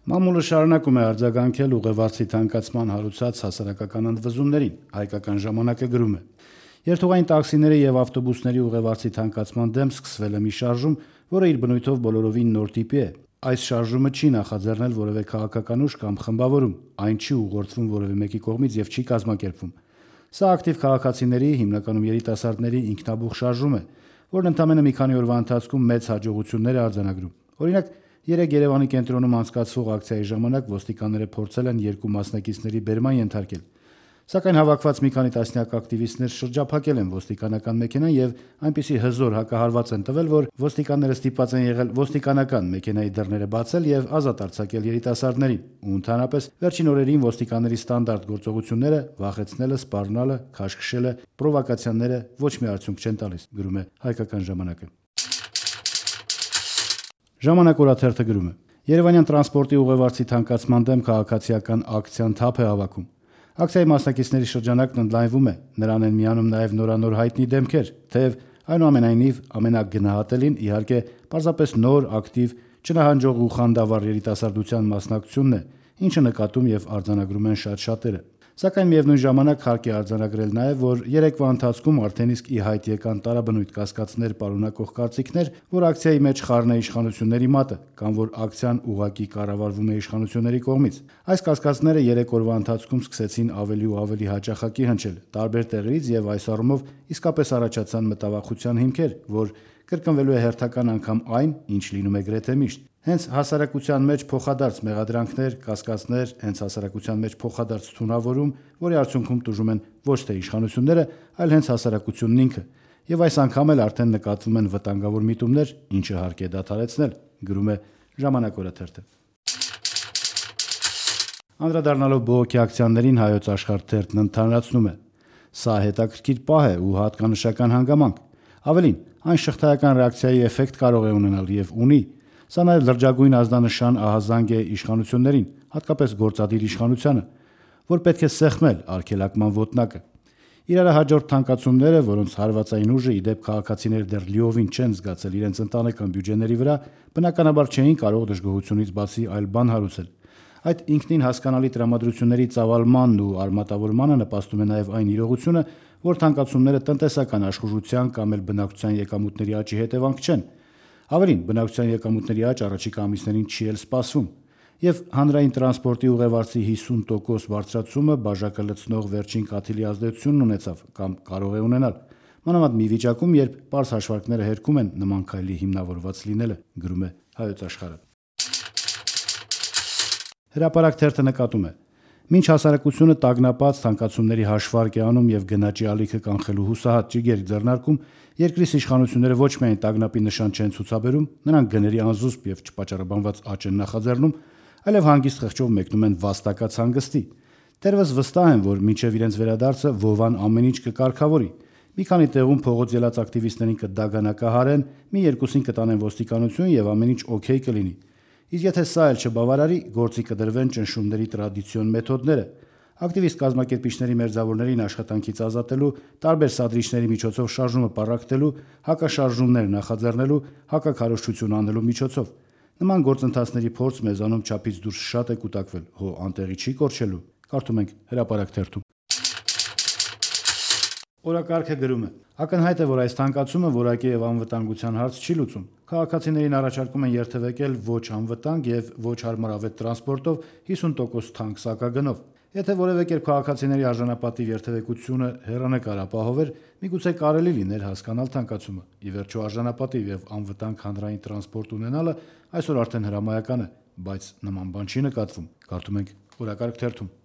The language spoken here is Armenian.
Մամուլը շարունակում է արձագանքել ուղևորցի թանկացման հարուցած հասարակական ընդվզումներին, հայկական ժամանակը գրում է. Երթուղային տաքսիների եւ ավտոբուսների ուղևորցի թանկացման դեմ սկսվել է մի շարժում, որը իր բնույթով բոլորովին նոր տիպի է։ Այս շարժումը չի նախաձեռնել որևէ քաղաքական ուժ կամ խմբավորում, այն չի ուղղորդվում որևէ մեկի կողմից եւ չի կազմակերպվում։ Սա ակտիվ քաղաքացիների, հիմնականում երիտասարդների ինքնաբուխ շարժում է, որն ընդամենը մի քանի օրվա ընթացքում մեծ հաջողություններ է արձանագրում։ Օրինակ, երեկ Երևանի կենտրոնում անցկացվող ակցիայի ժամանակ ոստիկանները փորձել են երկու մասնակիցների բերման ենթարկել, սակայն հավաքված մի քանի տասնյակ ակտիվիստներ շրջափակել են ոստիկանական մեքենան եւ այնպիսի հզոր հակահարված են տվել, որ ոստիկանները ստիպված են եղել ոստիկանական մեքենայի դռները բացել եւ ազատ արձակել երիտասարդներին։ Ու ընդհանրապես վերջին օրերին ոստիկանների ստանդարտ գործողությունները վախեցնելը, սպառնալը, քաշքշելը, պրովոկացիաները ոչ մի արդյունք չեն տալիս, գրում է Հայկական ժամանակը։ Ժամանակ օրաթերթը գրում է. Երևանյան տրանսպորտի ուղևորցի թանկացման դեմ քաղաքացիական ակցիան թափ է հավաքում։ Ակցիայի մասնակիցների շրջանակն ընդլայնվում է, նրան են միանում նաև նորանոր հայտնի դեմքեր, թեև այնուամենայնիվ ամենագնահատելին իհարկե պարզապես նոր, ակտիվ, չնահանջող ու խանդավառ երիտասարդության մասնակցությունն է, ինչը նկատում եւ արձանագրում են շատ շատերը։ Սակայն միևնույն ժամանակ հարկ է արձանագրել նաև, որ երեկվա ընթացքում արդեն իսկ ի հայտ եկան տարաբնույթ կասկածներ պարունակող կարծիքներ, որ ակցիայի մեջ խառն է իշխանությունների մատը, կամ որ ակցիան ուղղակի կառավարվում է իշխանությունների կողմից։ Այս կասկածները երեք օրվա ընթացքում սկսեցին ավելի ու ավելի հաճախակի հնչել տարբեր տեղերից եւ այս առումով իսկապես առաջացան մտավախության հիմքեր, որ կրկնվելու է հերթական անգամ այն, ինչ լինում է գրեթե միշտ։ Հենց հասարակության մեջ փոխադարձ մեղադրանքներ, կասկածներ, հենց հասարակության մեջ փոխադարձ թունավորում, որի արդյունքում տուժում են ոչ թե իշխանությունները, այլ հենց հասարակությունն ինքը։ Եվ այս անգամ էլ արդեն նկատվում են վտանգավոր միտումներ, ինչը հարկ է դադարեցնել, գրում է Ժամանակ օրաթերթը։ Անդրադառնալով բողոքի ակցիաներին Հայոց Աշխարհ թերթն ընդհանրացնում է. Սա հետաքրքիր պահ է ու հատկանշական հանգամանք։ Ավելին, այն շղթայական ռեակցիայի էֆեկտ կարող է ունենալ եւ ունի։ Սա նաև լրջագույն ազդանշան ահազանգ է իշխանություններին, հատկապես գործադիր իշխանությանը, որ պետք է սեղմել արգելակման ոտնակը։ Իրար հաջորդ թանկացումները, որոնց հարվածային ուժը ի դեպ քաղաքացիները դեռ լիովին չեն զգացել իրենց ընտանեկան բյուջեների վրա, բնականաբար չէին կարող դժգոհությունից բացի այլ բան հարուցել։ Այդ ինքնին հասկանալի տրամադրությունների ծավալմանն ու արմատավորմանը նպաստում է նաև այն իրողությունը, որ թանկացումները տնտեսական աշխուժության կամ էլ բնակչության եկամուտների աճի հետևանք չեն։ Ավելին, բնակչության եկամուտների աճ առաջիկա ամիսներին չի էլ սպասվում, եւ հանրային տրանսպորտի ուղևորցի 50% բարձրացումը բաժակը լցնող վերջին կաթիլի ազդեցությունն ունեցավ կամ կարող է ունենալ, մանավանդ մի վիճակում, երբ պարզ հաշվարկները հերքում են նման քայլի հիմնավորված լինելը, գրում է Հայոց Աշխարհը։ Հրապարակ թերթը նկատում է. Մինչ հասարակությունը տագնապած թանկացումների հաշվարկ է անում եւ գնաճի ալիքը կանխելու հուսահատ ճիգեր ձեռնարկում, երկրի իշխանությունները ոչ միայն տագնապի նշան չեն ցուցաբերում, նրանք գների անզուսպ եւ չպատճառաբանված աճ են նախաձեռնում, այլև հանգիստ խղճով մեկնում են վաստակած հանգստի։ Դեռևս վստահ են, որ մինչև իրենց վերադարձը Վովան ամեն ինչ կկարգավորի։ Մի քանի տեղում փողոց ելած ակտիվիստներին կդագանակահարեն, մի երկուսին կտանեն ոստիկանություն եւ ամեն ինչ օքեյ կլինի։ Իսկ եթե սա էլ չբավարարի, գործի կդրվեն ճնշումների տրադիցիոն մեթոդները։ Ակտիվիստ կազմակերպիչների մերձավորներին աշխատանքից ազատելու, տարբեր սադրիչների միջոցով շարժումը պառակտելու, հակաշարժումներ նախաձեռնելու, հակաքարոզչություն անելու միջոցով։ Նման գործընթացների փորձ մեզանում չափից դուրս շատ է կուտակվել, հո անտեղի չի կորչելու։ Կարդում ենք Հրապարակ թերթում։ Օրակարգը գրում է. Ակնհայտ է, որ այս թանկացումը որակի եւ անվտանգության հարց չի լուծում։ Քաղաքացիներին առաջարկում են երթևեկել ոչ անվտանգ եւ ոչ հարմարավետ տրանսպորտով 50% թանկ սակագնով։ Եթե որևէ կերպ քաղաքացիների արժանապատիվ երթևեկությունը հեռանկար ապահովեր, միգուցե կարելի լիներ հասկանալ թանկացումը։ Ի վերջո արժանապատիվ եւ անվտանգ հանրային տրանսպորտ ունենալը այսօր արդեն հրամայական է, բայց նման բան չի նկատվում։ Կարդում ենք Օրակարգ թերթում։